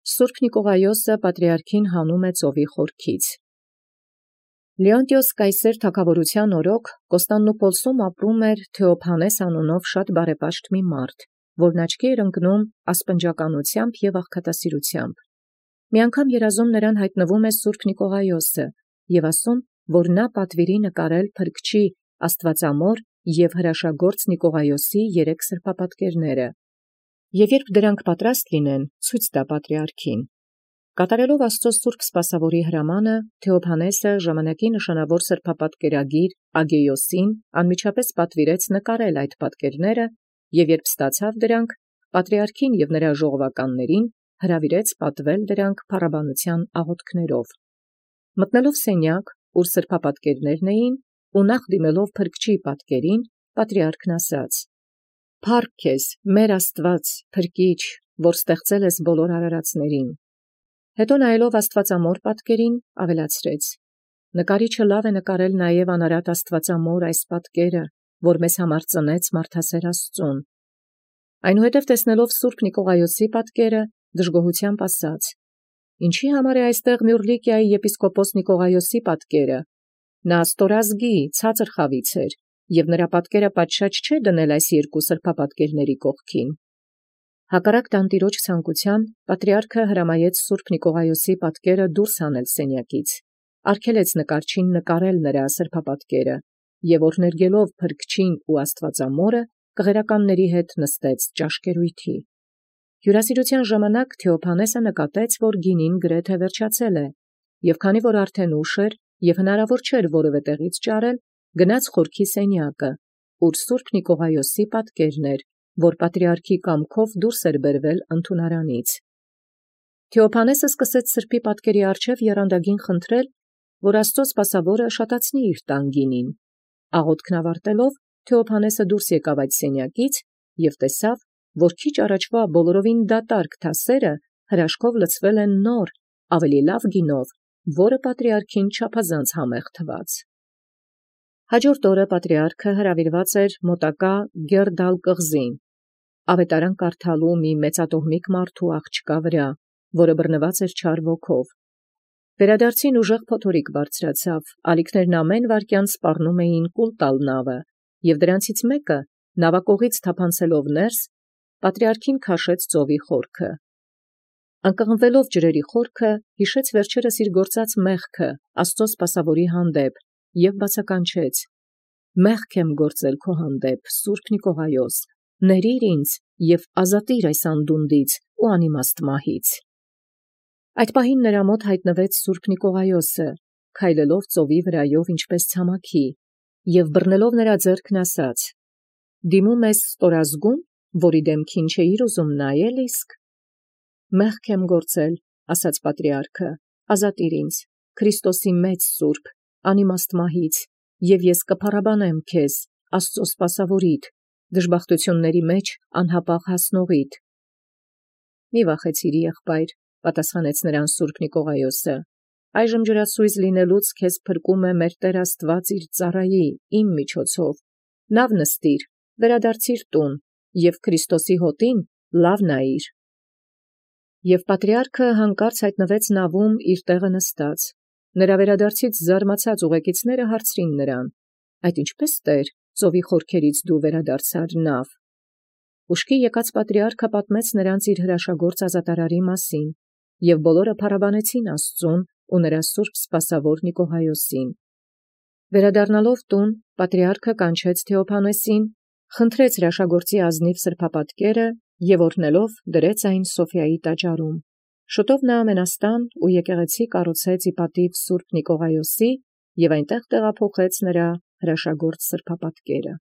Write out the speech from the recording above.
Սուրբ Նիկողայոսը պատրիարքին հանում է ծովի խորքից։ Լեոնտիոս կայսեր թագավորության օրոք Կոստանդնուպոլսում ապրում էր Թեոփանես անունով շատ բարեպաշտ մի մարդ, որն աչքի էր ընկնում ասպնջականությամբ և աղքատասիրությամբ։ Մի անգամ երազում նրան հայտնվում է Սուրբ Նիկողայոսը և ասում, որ նա պատվիրի նկարել փրկչի Աստվածամոր և հրաշագործ Նիկողայոսի 3 սրբապատկերները, և երբ դրանք պատրաստ լինեն, ցույց տա պատրիարքին։ Կատարելով Աստծո սուրբ սպասավորի հրամանը, Թեոփանեսը ժամանակի նշանավոր սրբապատկերագիր Ագեյոսին անմիջապես պատվիրեց նկարել այդ պատկերները, և երբ ստացավ դրանք, պատրիարքին և նրա ժողովականներին հրավիրեց պատվել դրանք փառաբանության աղոթքներով։ Մտնելով սենյակ, ուր սրբապատկերներն էին, ու նախ դիմելով փրկչի պատկերին, պատրիարքն ասաց. «Փառք քեզ, մեր Աստված, փրկիչ, որ ստեղծել ես բոլոր արարածներին»։ Հետո նայելով Աստվածամոր պատկերին, ավելացրեց. «Նկարիչը լավ է նկարել նաև անարատ Աստվածամոր այս պատկերը, որ մեզ համար ծնեց մարդասեր Աստծուն»։ Այնուհետև տեսնելով Սուրբ Նիկողայոսի պատկերը, դժգոհությամբ ասաց. «Ինչի համար է այստեղ Մյուռլիկիայի եպիսկոպոս Նիկողայոսի պատկերը։ Նա ստորազգի, ցածր խավից էր, և նրա պատկերը պատշաճ չէ դնել այս 2 սրբապատկերների կողքին»։ Հակառակ տանտիրոջ ցանկության, պատրիարքը հրամայեց Սուրբ Նիկողայոսի պատկերը դուրս հանել սենյակից, արգելեց նկարչին նկարել նրա սրբապատկերը, և օրհներգելով փրկչին ու Աստվածամորը, կղերականների հետ նստեց ճաշկերույթի։ Հյուրասիրության ժամանակ Թեոփանեսը նկատեց, որ գինին գրեթե վերջացել է, և քանի որ արդեն ուշ էր և հնարավոր չէր որևէ տեղից ճարել, գնաց խորքի սենյակը, ուր Սուրբ Նիկողայոսի պատկերն էր, որ պատրիարքի կամքով դուրս էր բերվել ընդունարանից։ Թեոփանեսը սկսեց սրբի պատկերի առջև եռանդագին խնդրել, որ Աստծո սպասավորը շատացնի իր տան գինին։ Աղոթքն ավարտելով, Թեոփանեսը դուրս եկավ այդ սենյակից և տեսավ, որ քիչ առաջվա բոլորովին դատարկ թասերը հրաշքով լցվել են նոր, ավելի լավ գինով, որը պատրիարքին չափազանց համեղ թվաց։ Հաջորդ օրը պատրիարքը հրավիրված էր մոտակա Գերդալ կղզին, ավետարան կարդալու մի մեծատոհմիկ մարդու աղջկա վրա, որը բռնված էր չար ոգով։ Վերադարձին ուժեղ փոթորիկ բարձրացավ, ալիքներն ամեն վայրկյան սպառնում էին կուլ տալ նավը, և դրանցից մեկը, նավակողից թափանցելով ներս, պատրիարքին քաշեց ծովի խորքը։ Ընկղմվելով ջրերի խորքը, հիշեց վերջերս իր գործած մեղքը Աստծո սպասավորի հանդեպ և բացականչեց. «Մեղք եմ գործել քո հանդեպ, Սուրբ Նիկողայոս, ներիր ինձ և ազատիր այս անդունդից ու անիմաստ մահից»։ Այդ պահին նրա մոտ հայտնվեց Սուրբ Նիկողայոսը, քայլելով ծովի վրայով ինչպես ցամաքի, և բռնելով նրա ձեռքն ասաց. «Դիմում ես ստորազգո՞ւն, որի դեմքին չէիր ուզում նայել իսկ»։ «Մեղք եմ գործել», ասաց պատրիարքը, «ազատիր ինձ, Քրիստոսի մեծ սուրբ, անիմաստ մահից, և ես կփառաբանեմ քեզ, Աստծո սպասավորիդ, դժբախտությունների մեջ անհապաղ հասնողիդ»։ «Մի վախեցիր, եղբայր», պատասխանեց նրան Սուրբ Նիկողայոսը, «այժմ ջրասույզ լինելուց քեզ փրկում է մեր Տեր Աստված իր ծառայի, իմ միջոցով. լավ նստիր, վերադարձիր տուն և Քրիստոսի հոտին լավ նայիր»։ Եւ պատրիարքը հանկարծ հայտնվեց նավում իր տեղը նստած։ Նրա վերադարձից զարմացած ուղեկիցները հարցրին նրան. «Այդ ինչպե՞ս Տեր, ծովի խորքերից դու վերադարձար նավ»։ Ուշքի եկած պատրիարքը պատմեց նրանց իր հրաշագործ ազատարարի մասին, և բոլորը փառաբանեցին Աստծուն ու նրա սուրբ սպասավոր Նիկողայոսին։ Վերադառնալով տուն, պատրիարքը կանչեց Թեոփանեսին, խնդրեց հրաշագործի ազնիվ սրբապատկերը և օրհնելով դրեց այն Սոֆիայի տաճարում։ Շուտով նա մենաստան ու եկեղեցի կառուցեց ի պատիվ Սուրբ Նիկողայոսի և այնտեղ տեղափոխեց նրա հրաշագործ սրբապատկերը։